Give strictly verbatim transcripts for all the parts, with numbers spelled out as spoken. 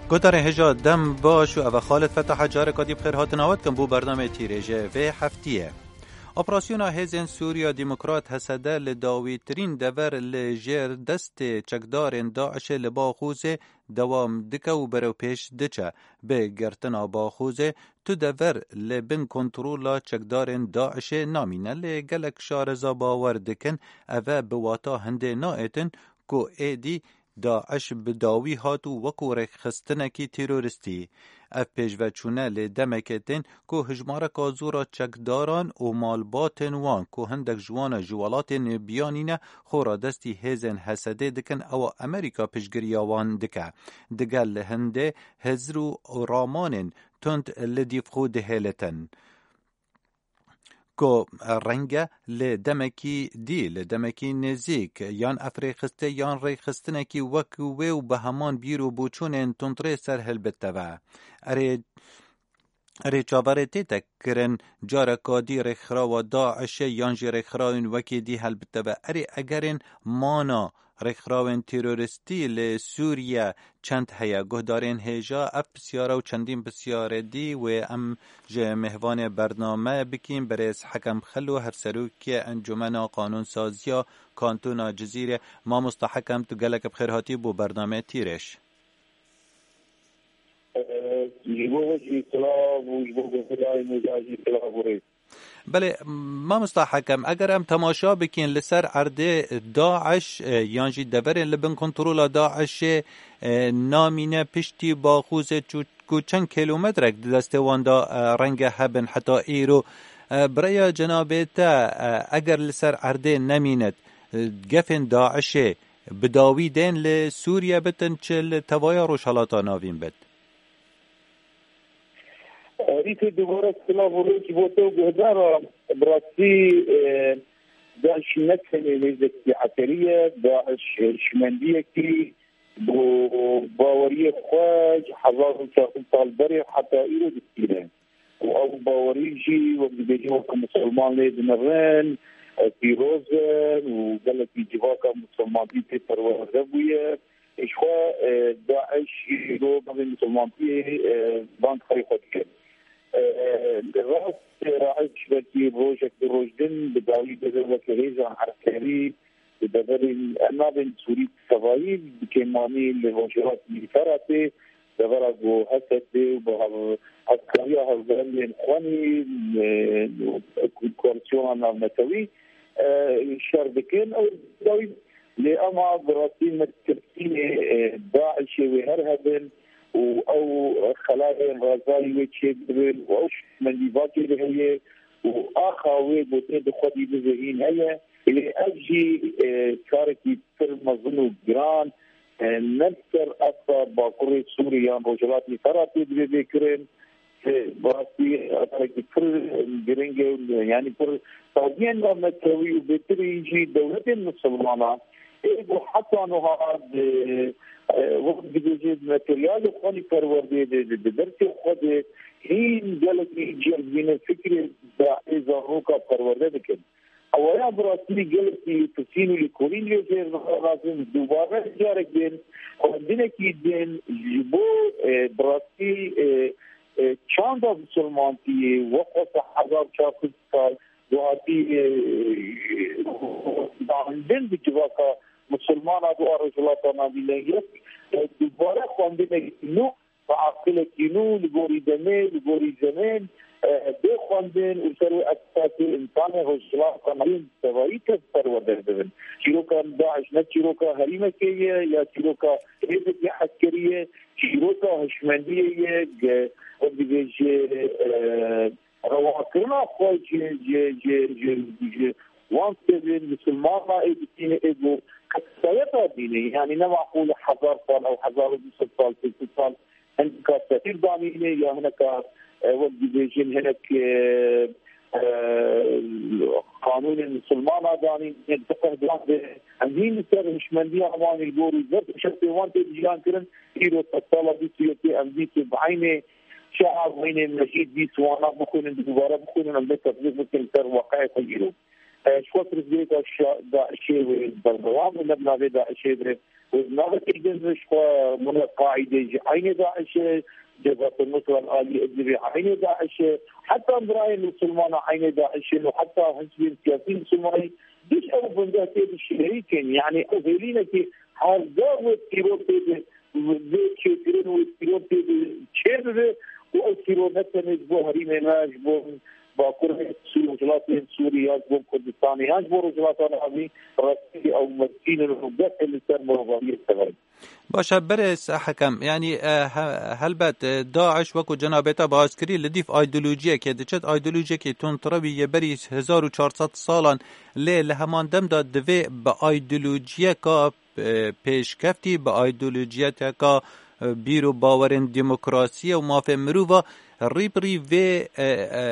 Guhdarên hêja dem baş û ev e Xalid Fetah e, careka dî bi xêr hatina we dikim bo bernameyê Tîrêjê vê heftiyê. Operasyona Hêzên Sûriya Demokrat, H S D, li dawîtirîn dever li jêr destê çekdarên DAIŞê li Baxûzê dewam dike û berewpêş diçe. Bi girtina Baxûzê tu dever li bin kontrola çekdarên DAIŞê namîne, lê gelek şareza bawer dikin ev e bi wata hindê naêtin ku êdî DAIŞ bi dawî hat û wekû rêkxistinekî terorîstî. Ev pêşveçûne lê demekê tên ku hijmareka zor a çekdaran û malbatên wan ku hindek ji wan e ji welatên biyanî ne, xwe radestî hêzên H S D'ê dikin, ewa Amerîka piştgiriya wan dike. Digel li hindê hizr û ramanên tund li dîv xwe dihêlitin. Ku renge li demekî dî, li demekî nêzîk, yan ev rêxistê yan rêxistinekî wek wê û bi heman bîr û boçûnên tundrê ser hilbite ve. Erê, erê çaverê tête kirin, careka dî rêkxirawa DAIŞê yan jî rêkxirawên wekî dî helbite ve. Erê egerên mana rêkxirawên terorîstî li Sûriye çend heye? Guhdarên hêja ev pisyara û çendîn pisyarê dî wê em ji mêvanê bername bikîn, birêz Hekem Xelo, hevserokê Encûmena Qanûnsaziya Kantona Cizîrê. Mamosta Hekem, tu gelek bi xêr hatî bo bernameyê Tîrêj. Ji bo we jî silav û ji bo guhdarên hêja jî silav û rêz. Belê, mamosta Hekem, eger em temaşa bikin li ser erdê DAIŞ, e, yan jî deverên li bin kontrola DAIŞê, e, namîne piştî Baxûzê çû-, ku çend kilometrek di destê wan de, e, renge hebin heta îro. E, bi rêya cenabê te, e, eger li ser erdê nemînet, e, gefên DAIŞê bi dawî tên li Sûriye bitin, çi li tevaya Rojhelata Navîn bit? Rîtê dubare silav û rêz ji bo te û guhdara. Bi rastî, e, DAIŞ ne tenê hêzekî eserî ye, DAIŞ hişmendiyekî bo baweriyê xwe ji hezar û çar sed sal berê heta îro distîne. Û ew bawerî jî, wek dibêjin, wek misilman lê dinirin, e, pîroz in û gelekî civaka misilmantî tê perwerde bûye. Ji xwe, e, DAIŞ îro bavê misilmantiyê, e, bang xerê xwe dike. E, rast, e, DAIŞ belkî rojek du roj din bi dawî bebe weke hêzan eskerî di deverên, em nabên Sûrî tevayî, bi kêmanî li Rojhilatî Feratê, devera ku H S D û bi hev-, hevkariya hevberendên xwenî, e, koalîsyona navnetewî, e, şer dikin. Ew dawî Lê ema bi rastî me tirkînê, e, DAIŞê wê her hebin û ew xelayên razayî wê çêbibin û ew şikmendî vakê de heye û axa wê gotê di xwedî bivihîn heye. Lê ev jî, e, karekî pir mezin û giran, e, ne li ser asta Bakurê Sûrî yan Rojhilatê Feratê divê bê kirin. Bi rastî, karekî pir giring e, yanî pir saziyên navnetewî û bêtirî jî dewletên misilmanan ê ku heta niha di, e, wek dibêje, materyalê xwe li perwerdeyê de, di, di dersê xwe de hîn gelekî cih dibîne fikrê dahê zaroka perwerde dikin. Ewaya bi rastî gelekî lêpirsîn û lêkolîn lê jêr dixrazin, dubare carek din xwendinekî din ji bo, e, bi rastî, e, e, çanda misilmantiyê wek wesa hezar çar sed sal ku hatî, e, danîn bi civaka misilmana di a Rojhilata Navîn de yek, e, dubare xwendinek nû bi aqilekî nû, li gorî demê, li gorî zemên, e, bê xwendin û ser wê esasê însanê Rojhilata Navîn tevayî tev perwerde dibin. Çîroka DAIŞ ne çîroka herîmekê ye ya çîroka hêzekî eskerî ye, çîroka hişmendiyê ye, ge-, wek dibêje, e, rewakirina xwe ji, ji, ji, ji, ji wan kitêbên misilmana ê dîtîne ê ku kesayeta dînê, yanî ne maqûl e hezar sal ew hezar û du sed sal, sê sed sal hineka sefîr danîne ya hineka, e, wek dibêjin hinek, e, e, qanûnên misilmana danîne, hinek fiqh dan de. Em hîn li ser hişmendiya wan ê li gor û zeft û şertê wan tê jiyan kirin. Îro sedsala bîst û yekê em dît û bi eynê çav eynê mecîd dît wana bixwînin, dubare bixwînin, em bê tetbîq bikin li ser weqeyê xwe îro. e, ji xwe pirsgirêka şa-, DAIŞê wê berdewam be, ne bi navê DAIŞê be, wê bi navekî din ji xwe mine Qaîdê jî eynê DAIŞê, Cebhet Nusra li alî Idlibê eynê DAIŞê, heta birayên Musulmana eynê DAIŞê û heta hizbên siyasî Musulmanî giş ew bingeh tê bişêrîkin. Yani ew hêlînekî her gar wê tîror tê de, vê çêkirin wê tîror tê de çê bibe û ew tîror ne tenê ji bo herîmê me, ji bo Bakurê Sû-, Rojhilatê Sûrî ya ji bo Kurdistanê ya ji bo Rojhilata Navîn rastî ew mezin in û destê li ser mirovariyê sever in. Baş e, berêz Hekem, yanî, e, he-, helbet, e, DAIŞ, wekû cenabê te baskirî, li dîv aydolojiyekê diçet, aydolojiyekê tundtirewî yê berî hezar û çar sed salan, lê li heman dem de divê bi aydolojiyeka, e, pêşkeftî, bi aydolojiyeteka, e, bîr û bawerên demokrasiyê û mafê mirova rî bi rî vê, e, e,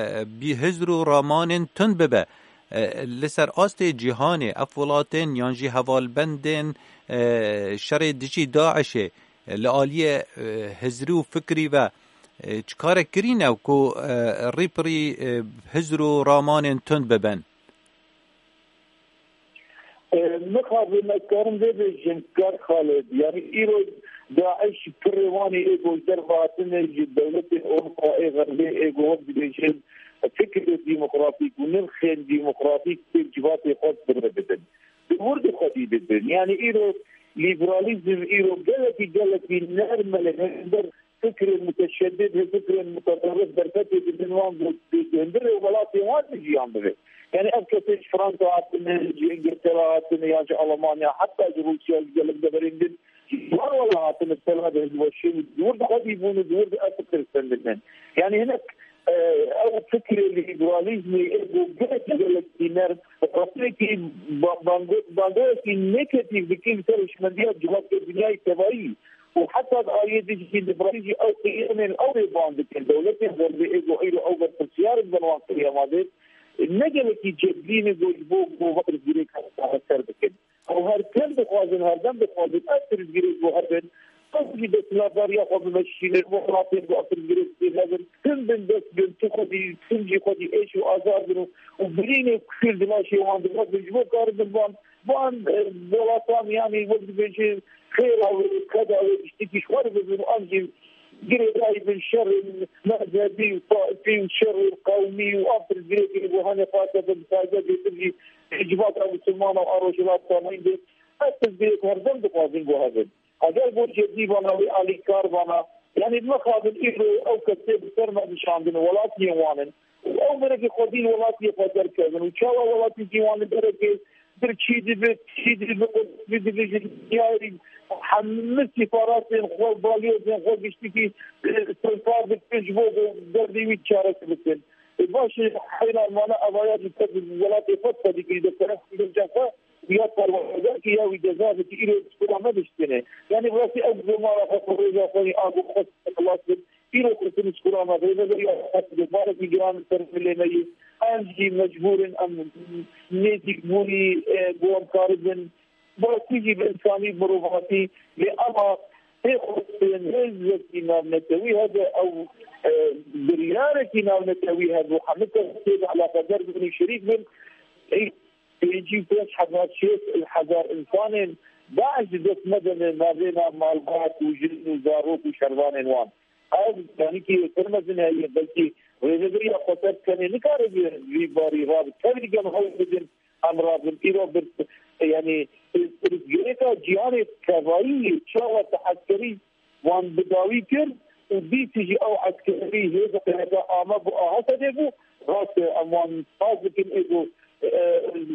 bî hizr û ramanên tund bibe. E, li ser astê cîhanê ev welatên yan jî hevalbendên, e, şerê dijî DAIŞê, e, li aliyê, e, hizrî û fikrî ve, e, çi karek kirîne ku, e, rî bi rî, e, hizr û ramanên tund bibin? E, mixabin ez karim vê bêjim, kar Xalid. Yani îro DAIŞ pirê wan ê ê ku ji derve hatine, ji dewletên Ewropa ê Xerbê ê ku wek dibêjin fikirê demokratîk û nirxên demokratîk tê civatê xwe bi rê bidin. Di wir de xwedî dibin. Yani îro lîberalîzm îro gelekî, gelekî nerm e li hember fikrên muteşeddid, fikrên muteterrif derfetê didin wan ku di hundirê welatê wan de jiyan bibe. Yani ev kesê ji Fransa hatine, ji Îngiltere hatine, ya ji Almanya, heta ji Rûsya, ji gelek deverên din, ji wan wela hatine, sela de ji weşê û di wir de xwedî bûn û di wir de ev fikir stendine. Yani hinek, e, ew fikrê lîberalîzmê ê ku gelek, gelek dîner, rastiyekî ba-, bango-, bangoyekî negatif dikin ser hişmendiya civakê dinyayê tevayî. Û heta di aliyê din jî, li vir jî ew qiyemên ew ê ban dikin. Dewletên Xerbê ê ku îro ew berpirsiyar in, bin wan qiyama de, ne gelekî cedî ne ku ji bo ku vê pirsgirêka çareser bikin. Ew her tim dixwazin, her dem dixwazin, ev pirsgirêk ku hebin, ew jî desthilatdariya xwe bimeşînin, welatên ku ev pirsgirêk tê hebin, tim bin dest bin, tu xwedî, tim jî xwedî êş û azar bin û, û birînê kuşil di laşê wan de hebin, ji bo karibin van Van, e, welatan, yanî wek dibêje, xêra wê, keda wê, tiştekî ji xwe re bibin û em jî girêdayî bin şerên mezhebî û taifî û şerên qewmî û ev pirsgirêkê ku hene xwarte bin, bi taybet bêtir jî civaka Misilmana û a Rojhilata Navîn de. Ev pirsgirêk her dem dixwazin ku hebin. Eger bo cedî vana wê alîkar vana, yanî mixabin îro ew kesê bi ser me dişandin, welatiyên wan in. Û ew mirekî xwedî li welatiyê xwe derkevin û çawa welatî jî wan li derekê birçî dibe, çî dibe, qudretî dibe ji dinyayê hemî sîfaratên xwe, balyozên xwe giştikî, e, sirfar dikin ji bo ku derdê wî çaresi bikin. E, baş e, heyran mane evaya jî te welatê xwe xwedî kirî de, te xwe ya perwerdedarkî ya wî ceza bikî, îro skula me diştine. Yanî bi rastî ev bi mala xwe, xwe rêza xwe yê ago xwe xilas bin. Îro xistin skula me, rêveberiya xwe bi barekî giran li ser milê me yê. Em jî mecbûr in, em nêzîkbûnî, e, bo em karibin. Bi rastî jî bi însanî, mirovatî, lê ema tê xwestin hêzekî navnetewî hebe ew, e, biryarekî navnetewî hebe û hemû kes tê de eleqedar bin û şerîk bin. Ê, pêncî û pênc hezar, şêst hezar însanên DAIŞ di dest me de ne, navêna malbat û jin û zarok û şervanên wan. Ev, yanî ki pir mezin heye, belkî rêveberiya xweser tenê nikare vî, vî barî rabe. Tevlî gel hewl bidin, em rabin. Îro bir, yanî, pirsgirêka cîhanê tevayî çawa te eskerî wan bi dawî kir û dîsî jî ew eskerî hêza P K K a me bû, a H T D'ê bû. Rast e, em wan spas dikin, ê ku, e,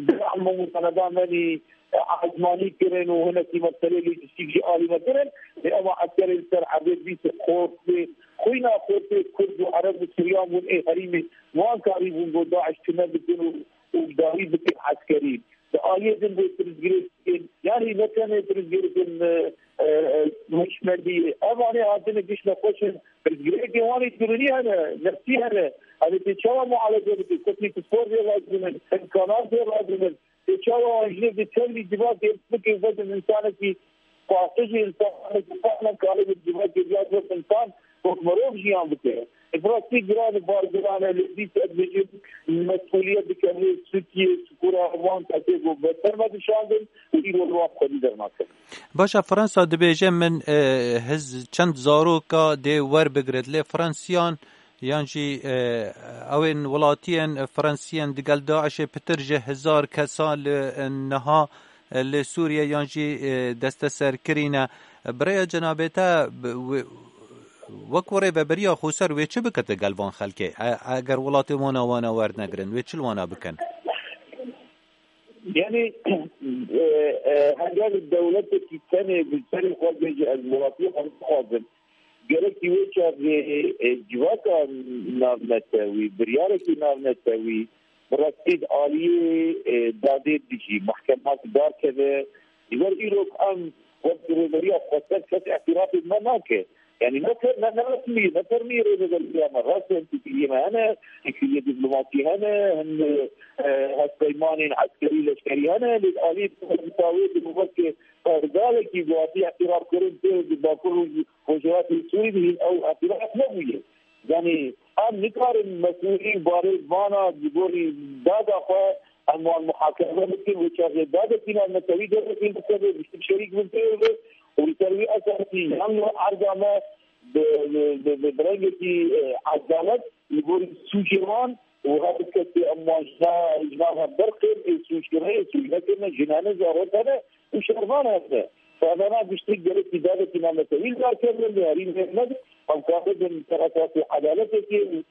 bi em û saneda me nî, e, ezmanî kirin û hinekî meselê lojîstîk jî alî me kirin. Lê ema eskerê li ser erdê dîsî xortê, xwîna xortê Kurd û Ereb û Suryan bûn ê herîmê wan karîbûn ku DAIŞ tune bikin û û dawî bikin eskerî. Di aliyê din bê pirsgirêkên, yanî ne tenê pirsgirêkên, e, e, e, hişmendî. Ev anê hatine giş nexweş in. Pirsgirêkên wan ê derûnî hene, nefsî hene. Ev ê tê çawa mualece bikin? Kotî pisporê lazim in, imkanatê lazim in. Tê çawa wan jinê bi tevlî civakê bikin, vekin insanekî paqij ê, insanekî fehmên karibin civakê ya wek insan Wek mirov jiyan bike. Bi rastî giran e, bar giran e, lê dîsa dibêjin mesûliyet dike lê Tirkiye, çikûra wan kesê ku beter me dişandin û îro li wan xwedî dernakin. Baş e, Fransa dibêje min, e, hiz çend zaroka dê werbigrit, lê Fransiyan yan jî, e, ew ên welatiyên Fransiyên digel DAIŞê pitir ji hezar kesa li, e, niha, e, li Sûriye yan jî, e, desteser kirîne. Bi rêya cenabê te, bi, wê, wek rêveberiya xweser wê çi bike digel van xelkê? E, eger welatê wana wana wernegirin, wê çi li wana bikin? Yani, e, e, heger dewletekî tenê bi serê xwe bêje, ez welatiyê xwe nixwazim, gerekî wê çaxê, e, civaka navnetewî, biryarekî navnetewî, bi rastî di aliyê, e, dadê dijî, mehkemat darkeve. Ji ber îro em wek rêveberiya xweser kes îtirafê me nake. Yani ne fer-, ne, ne resmî, ne fermî rêveberiya me. Rast e, têkiliyê me hene, têkiliyê dîplomasî hene, hin, e, hevpeymanên eskerî, leşkerî hene, lê di alî dawê di weke pergalekî bi hatî îtirafkirin tê di Bakur û Rojhilatê Sûrî de hîn ew îtiraf nebûye. Yani em nikarin mesûlî barê vana ji gorî dada xwe em wan muhakeme bikin, wê çaxê dadekî navnetewî dervekî bikeve, bi şerîk bin pê ve û li ser wî esasî yan li erda me bi, bi, bi, bi, bi rengekî, e, edalet li gorî sûcê wan û her kesê em wan ji na-, ji nav hev derxin, ê sûc kirine, ê sûc nekirine, jinane, zarok hene û şervan hene. Sazana giştî gerekî dadekî navnetewî li dar kevin, li herî nêr nebin, em kabin ser esasê edaletekê û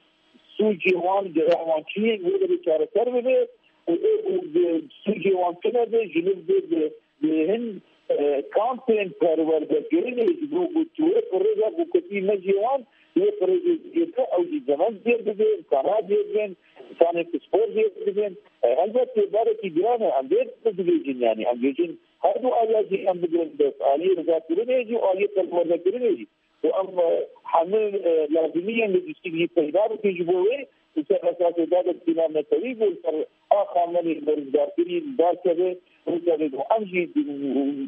sûcê wan, ceza wan çi ye, wê derê çareser bibe û, û, û sûcê wan tune be, ji li bi, bi, bi hin, e, kampên perwerdekirinê ji bo ku tu wê rêza ku ketî mejê wan, wê rêzê zêde ew jî zemen zêr bibe, îmkanat zêr bin, îmkanên pispor zêr bibin. E, helbet têbarekî giran e, em vê dibêjin, yani em bêjin her du aliya jî em bigirin dest, aliyê rizakirinê jî û aliyê perwerdekirinê jî. Û em, e, hemû, e, lazimiyên lojîstîk jî peyda bikin ji bo wê û ser esasê dadekî navnetewî ku li ser axa me lê berîzgarkirî li dar keve, û ser û em jî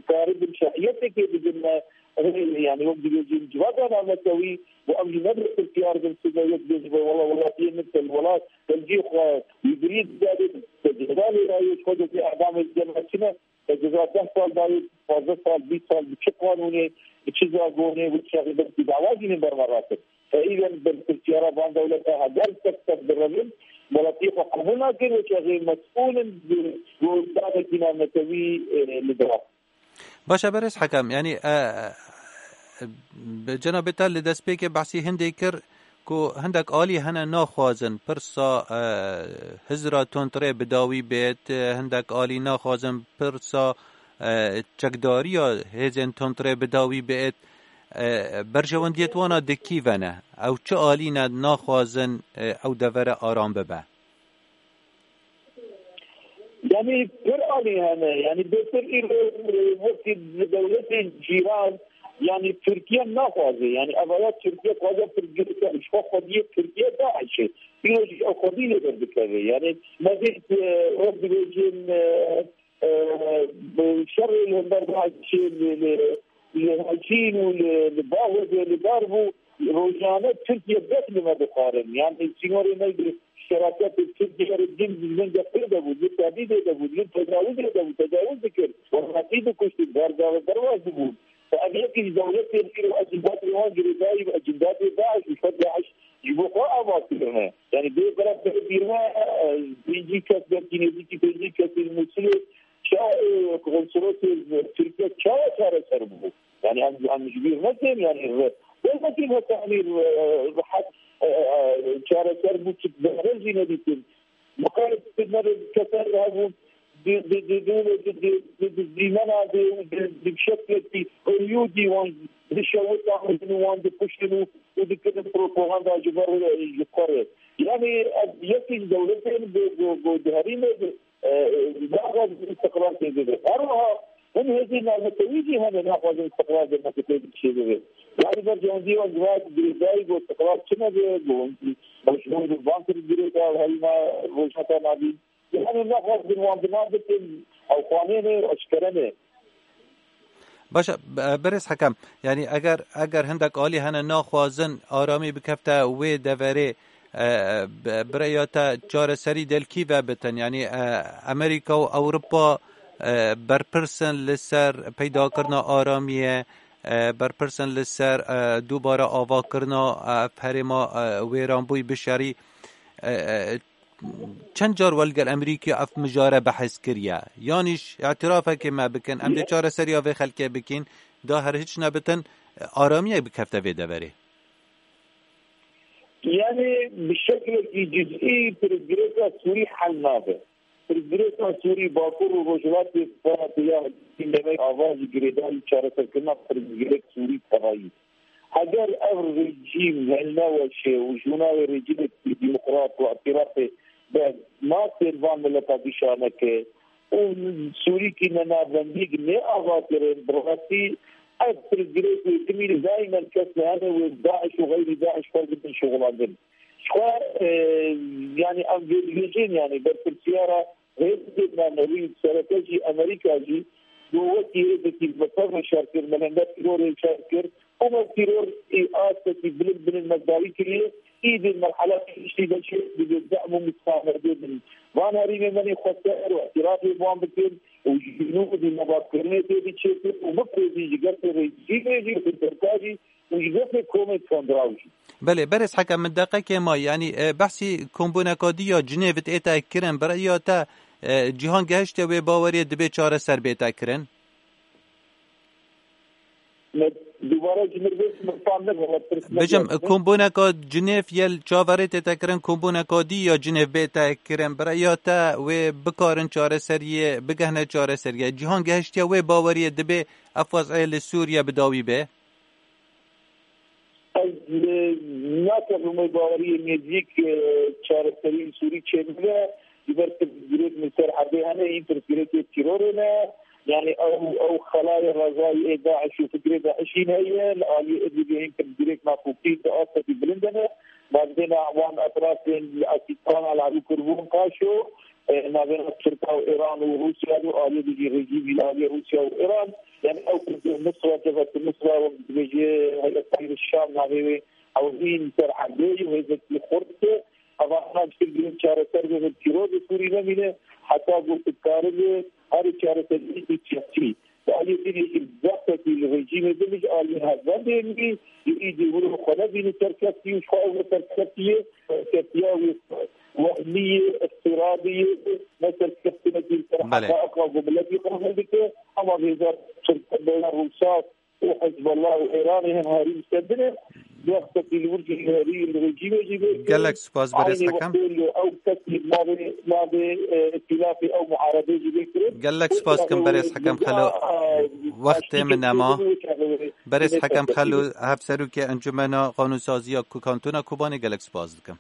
karibin şerîetekê bidin me, e, yani wek dibêjin civaka navnetewî û em jî ne bi pirsyar bin sibe yek bêjin, wela welatiyê min te li welat, te li cihê xwe wî birî didadê, te ceza lê dayê, ji xwe de vê edamê dide me çi ne? Te ceza deh sal dayê, pazdeh sal, bîst sal, bi çi qanûnê, bi çi zagonê, bi çi şerî belkî dawa jî nê berme rakin. Te îden berpirsiyara van dewleta heger tek tek birevin, welatiyê xwe qebûl nakin, wê çaxê mesûl in bi, bi dadekî navnetewî, e, li dira. Baş e, berêz Hekem, yanî, e, e, bi cenabê te li destpêkê behsî hindê kir, ku hindek alî hene naxwazin pirsa, e, hizra tundrê bi dawî bêt, e, hindek alî naxwazin pirsa, e, çekdariya hêzên tundrê bi dawî bêt. E, berjewendiyêt wana di kî ve ne? Ew çi alî ne naxwazin, e, ew devere aram bibe? Yani pir alî hene. Yani bêtir îro, e, wekî dewletên cîran, yani Tirkiye naxwaze. Yani evaya Tirkiye xwaze pir girke, ji xwe xwediyê Tirkiye DAIŞ'ê. Îro jî ew xwedî lê berdikeve. Yani me dît, e, wek dibêjin, e, e, bi şerê li hember DAIŞ'ê li, li, li Hecîn û li, li Bahûdê li dar bû. Rojane Tirkiye bes li me dixwarin. Yani sînorê me bi şeraketê Tirkiye re din li min de pir de bû, li tevî de bû, li tecawizê de bû, tecawuz dikir. Werhatî dikuştin, bergave derbas dibûn. Ev yekî ji dewletên îro ecindatê wan girêdayî bi ecindatê DAIŞ û FETAŞ ji bo xwe ava kirine. Yani bê bera bê bîrme, e, pêncî kes, belkî nêzîkî pêncî kesên Mûsilê ça, e, konsolosê Tirkiye çawa çareser bû? Yani em, em ji bîr nekin, yani re-, belkî heta em ê re-, rehet, e, e, çareser bû, çi behre jî nedîtin. Miqayet kirine re keser hebûn, di, di, di, di, di, di, di, di dîmena de, di, di şeklekî periyodî wan dişewitan û wan dikuştin û, û dikirin propaganda ji ber, e, ji xwe re. Yani ev yekî ji dewletên bi, bi, bi, di herîmê de, e, e, naxwazin îstiqlal tê bibe. Her wiha hin hêzên navnetewî jî hene naxwazin îstiqlal demokratîk çêbibe. Yani berjewendiyê wan girêdayî, girêdayî ku îstiqlal çi nebe, ku mecbûr bin van tişt girêdayî herîma Rojhilata Navîn. Yani naxwazin wan bi nav bikin, ew xanê ne, eşkere ne. Baş e, berêz Hekem, yanî eger eger hindek alî hene naxwazin aramî bikefte wê deverê, e, bi- bi rêya te çareserî del kî ve bitin? Yanî e, Amerîka û Ewropa e, berpirs in li ser peydakirina aramiyê, e, berpirs in li ser e, dubare avakirina e, ev herêma e, wêranbûyî bişerî. E, e, çend car we li gel Amerîkî ev mijare behs kiriye? Yanî îtirafekê me bikin, em dê çareseriya vê xelkê bikin, da her hiç nebitin, aramiyek bikefte vê deverê. Yani bi şeklekî cizî pirsgirêka Sûrî hel nabe. Pirsgirêka Sûrî Bakur û Rojhilatê Firatê ya demê ava ji girêdarî çareserkirina pirsgirêk Sûrî tevayî. Eger ev rejîm hilneweşe û ji navê rejîmekî demokrat û îtîrafê be nasên van mileta dîşa neke û Sûrîkî ne navbendî nê ava kirin, bi rastî ev pirsgirêk wê timî li daimen kes li hene wê DAIŞ û xeyrî DAIŞ xwe bidin şixulandin. Ji xwe e, yanî em vê dibêjin, yanî berpirsiyara hêzên me newî sereke jî Amerîka jî got wekî hêzekî bi tevre şer kir, me hember tîrorê şer kir û me tîror ê astekî bilind bilind me dawî kiriye. Îdî merhela pêşî de jî divê dehm û misamerdê bin. Van herîmê me nê xwester û îtirafê bi wan bikin û ji nû dî mebatkirinê tê biçêtin û biprêzî ji gefê rejîmê jî, ji Tirka jî û ji gefê komên tundrew jî. Belê, berêz Hekem, min deqekê ma, yanî e, behsî kombûneka dî ya Cinêv ê te kirin, bi rêya te e, cîhan gehiştiye wê baweriyê dibê çareser bête kirin? Me dubare ji mir bêt, min fam nebû, me pirs Bêjim, nebû. Kombûneka Cinêv yê li çaverê tête kirin, kombûneka dî ya Cinêv bête kirin, bi rêya te wê bikarin çareseriyê, bigehne çareseriyê. Cîhan gehiştiye wê baweriyê dibê ev wez'ê li Sûriye bi dawî be? Ez e, nakevim wê baweriyê nêzîk e, çareserî li Sûrî çêbibe. Ji ber pirsgirêk li ser erdê hene, hîn pirsgirêkê tîrorê ne. Yanî ew ew xelayê rejayî ê DAIŞ û fikrê DAIŞî heye. Li aliyê Idlibê hîn pirsgirêk nakokî di astekî bilind hene. Navbêna wan etrafên li Asîstana li Alî Kurbûn Paşo, e, navbêna Tirka û Îran û Rûsya û aliyê dijî rejîmî li aliyê Rûsya û Îran. Yanî ew pirsgirêk Nusra, Cebhet Nusra, wek dibêje Heyet Tahrir Şam navê wê, ew hîn ser erdê ye, hêzekî xurt e. Ev ana ji tir girin çareser bibin, tîror li Sûrî nemîne, heta ku dikaribe herê çareseriyekî siyasî. Di aliyê din yekî zextekî li rejîmê din ji aliyê hevbendê min, ji îdî wilo xwe nebîne serkeftî û ji xwe ew ne serkeftiye, serkeftiya wê wehmî ye, iftiradî ye, ne serkeftinekî li ser Belê. heqaiqa ku miletî qebûl dike, ama vêca Tirk, Rûsa, û Hizbullah û Îranê hem herî li ser din e. Wextekî li wir jî herî li rejîmê jî bê. Gelek spas, berêz Hekem. Eynî wextê li ew kesî navê, navê e, îtîlafê ew muarebê jî bê kirin. Gelek spas kim, berêz Hekem Xelo. Wextê min nema. Berêz Hekem Xelo, hevserokê Encumena Qanûnsaziya ku Kantona Kobanê, gelek spas dikim.